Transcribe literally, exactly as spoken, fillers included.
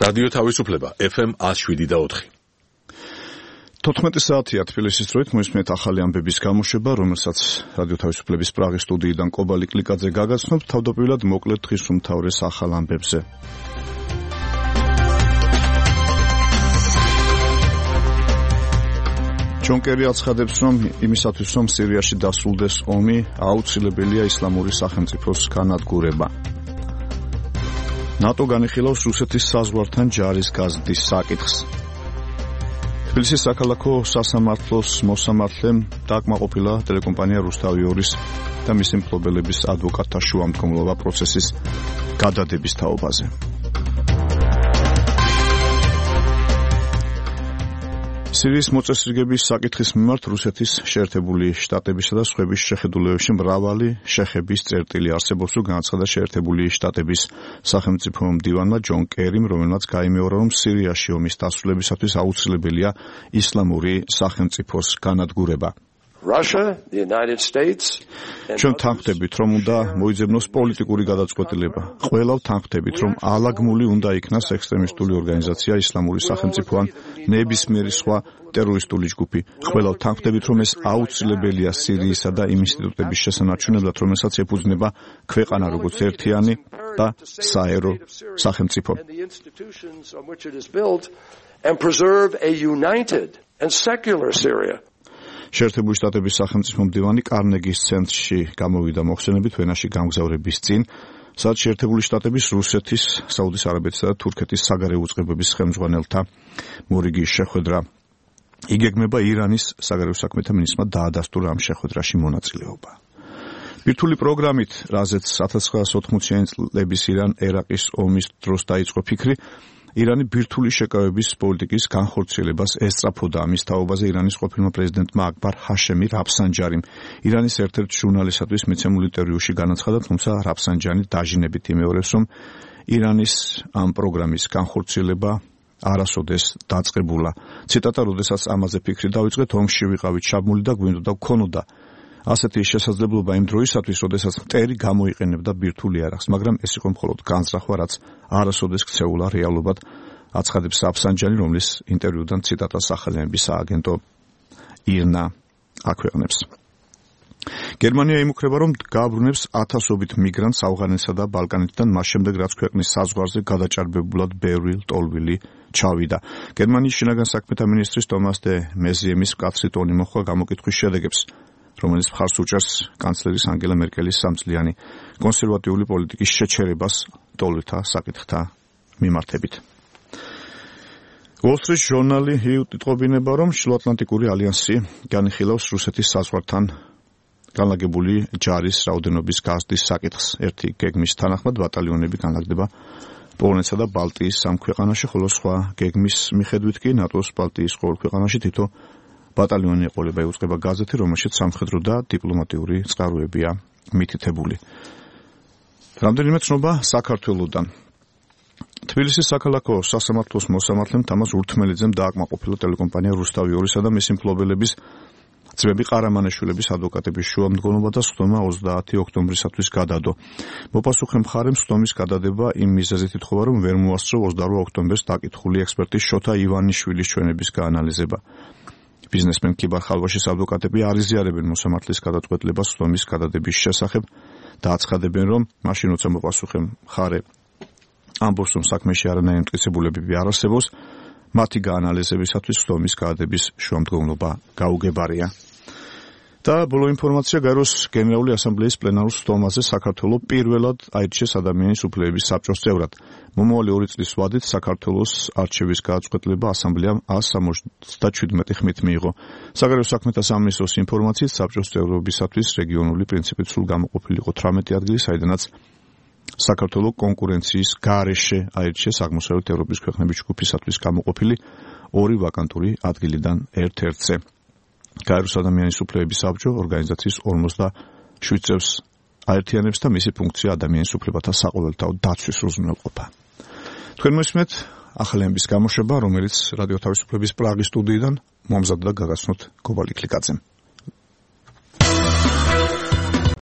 რადიო თავისუფლება ეფ ემ ათს შვიდი და ოთხი. თოთხმეტი საათია თბილისის დროით მოისმენთ ახალი ამბების გამოშვება, რომელსაც რადიო თავისუფლების პრაღის სტუდიიდან კობალი კლიკაძე გაგაცნობთ. თავდაპირველად მოკლედ დღის უმთავრეს ახალ ამბებზე. ჯონ კერი აცხადებს, რომ იმისათვის, რომ სირიაში დასრულდეს ომი, აუცილებელია ისლამური სახელმწიფოს განადგურება. ნატო განიხილავს რუსეთის საზღვართან ჯარის გაზრდის საკითხს. თბილისის საქალაქო სასამართლოს მოსამართლემ დააკმაყოფილა ტელეკომპანია რუსთავი ორის და მისი მფლობელების ადვოკატთა შუამდგომლობა პროცესის გადადების თაობაზე. სირიის მოწესრიგების საკითხის მიმართ რუსეთის შეერთებული შტატებისა და სხვების შეხედულებებში მრავალი შეხების წერტილი არსებობს, რომ განაცხადა შეერთებული შტატების სახელმწიფო მდივანმა ჯონ კერიმ, რომელმაც გაიმეორა, რომ სირიაში ომის დასრულებისათვის აუცილებელია ისლამური სახელმწიფოს განადგურება. ჩვენ თანხმდებით, რომ უნდა მოიძებნოს პოლიტიკური გადაწყვეტილება. ყველა თანხმდებით, რომ ალაგმული უნდა იქნას ექსტრემისტული ორგანიზაცია ისლამური სახელმწიფო ან ნებისმიერი სხვა ტერორისტული ჯგუფი. ყველა თანხმდებით, რომ ეს აუცილებელია სირიისა და იმ ინსტიტუტების შესანარჩუნებლად, რომელსაც ეფუძნება ქვეყანა როგორც ერთიანი და საერო სახელმწიფო. შეერთებული შტატების სახელმწიფო მდივანი კარნეგის ცენტრში გამოვიდა მოხსენებით ვენაში გამგზავრების წინ, სადაც შეერთებული შტატების, რუსეთის, საუდის არაბეთისა და თურქეთის საგარეო უწყებების ხელმძღვანელთა მორიგი შეხვედრა. იგეგმება ირანის საგარეო საქმეთა მინისტრმა დაადასტურა ამ შეხვედრაში მონაწილეობა. ბირთვული პროგრამით, რაზეც ათას ცხრაასი ოთხმოციანი წლების ირან-ერაყის ომის დროს დაიწყო ფიქრი, ირანი ბირთვული შეკავების პოლიტიკის განხორციელებას ესწრაფოდა. ამის თაობაზე ირანის ყოფილმა პრეზიდენტმა აკბარ ჰაშემი რაფსანჯარიმ ირანის ერთ-ერთ ჟურნალისტადვის მიცემულ ინტერვიუში განაცხადა, თუმცა რაფსანჯანი დაჟინებით იმეორებს, რომ ირანის ამ პროგრამის განხორციელება არასოდეს დაწყებულა. ციტატა: "როდესაც ამაზე ფიქრი დავიწყეთ, ომში ვიყავით ჩაბმული და გვინდოდა გქონოდა ასეთი შესაძლებლობა იმ დროისათვის, როდესაც მტერი გამოიყენებდა ბირთვული იარაღს, მაგრამ ეს იყო მხოლოდ განზრახვა, რაც არასოდეს ქცეულა რეალობად", აცხადებს რაფსანჯანი, რომლის ინტერვიუდან ციტატას სახელმწიფოს სააგენტო ირნა აქვეყნებს. გერმანია იმუქრება, რომ გააბრუნებს ათასობით მიგრანტს ავღანეთსა და ბალკანეთიდან, მას შემდეგ, რაც ქვეყნის საზღვარზე გადაჭარბებულად ბევრი ლტოლვილი ჩავიდა. გერმანიის შინაგან საქმეთა მინისტრის ტომას დე მეზიემის მკაცრი ტონი მოხდა გამოკითხვის შედეგებს, რომელიც მხარს უჭერს კანცლერის ანგელა მერკელის სამწლიანი კონსერვატიული პოლიტიკის შეჩერებას ლტოლვილთა საკითხთა მიმართებით. Wall Street ჟურნალი იტყობინება, რომ შუაატლანტიკური ალიანსი განიხილავს რუსეთის საზღვართან განლაგებული ჯარის რაოდენობის გაზრდის საკითხს. ერთი გეგმის თანახმად ბატალიონები განლაგდება პოლონეთსა და ბალტიის სამ ქვეყანაში, ხოლო სხვა გეგმის მიხედვით კი ნატოს ბალტიის ყოველ ქვეყანაში თითო ბატალიონი ეყოლება, იუწყება გაზეთი, რომელშიც სამხედრო და დიპლომატიური წყაროებია მითითებული. რამდენიმე ცნობა საქართველოდან. თბილისის საქალაქო სასამართლოს მოსამართლემ თამაზ ურთმელიძემ დააკმაყოფილა ტელეკომპანია რუსთავი ორისა და მისი მფლობელების ძმები ყარამანაშვილების ადვოკატების შუამდგომლობა და სხდომა ოცდაათი ოქტომბრისათვის გადადო. მოპასუხე მხარემ სხდომის გადადება იმ მიზეზით ითხოვა, რომ ვერ მოასწრო ოცდარვა ოქტომბერს დაკითხული ექსპერტის შოთა ივანიშვილის ჩვენების გაანალიზება. ბიზნესმენ კიბარ ხალვაშის ადვოკატები არ იზიარებენ მოსამართლის გადაწყვეტილებას სხდომის გადადების შესახებ და აცხადებენ, რომ მაშინ როცა მოპასუხე მხარე ამბობს, რომ საქმეში არანაირი მტკიცებულებები არ არსებობს, მათი გაანალიზებისათვის სხდომის გადადების შუამდგომლობა გაუგებარია. და ბოლო ინფორმაცია გაეროს გენერალური ასამბლეის პლენარულ სხდომაზე საქართველოს პირველად აირჩიეს ადამიანის უფლებების საბჭოს წევრად. მომავალი ორი წლის ვადით საქართველოს არჩევის გადაწყვეტილება ასამბლეამ ას სამოცდაჩვიდმეტი ხმით მიიღო. საგარეო საქმეთა სამინისტროს ინფორმაციით საბჭოს წევრობისათვის რეგიონული პრინციპით სულ გამოყოფილი იყო თვრამეტი ადგილი, საიდანაც საქართველოს კონკურენციის გარეშე აირჩიეს აღმოსავლეთ ევროპის ქვეყნების ჯგუფისათვის გამოყოფილი ორი ვაკანტური ადგილიდან ერთ-ერთზე. გაეროს ადამიანის უფლებების საბჭო ორგანიზაციის ორმოცდაშვიდ წევრს აერთიანებს და მისი ფუნქცია ადამიანის უფლებათა საყოველთაო დაცვის უზრუნველყოფა. თქვენ მოსმენთ ახალი ამბის გამოშვება, რომელიც რადიო თავისუფლების პრაღის სტუდიიდან მომზადდა და გაგაცნოთ კობალი კლიკაძემ.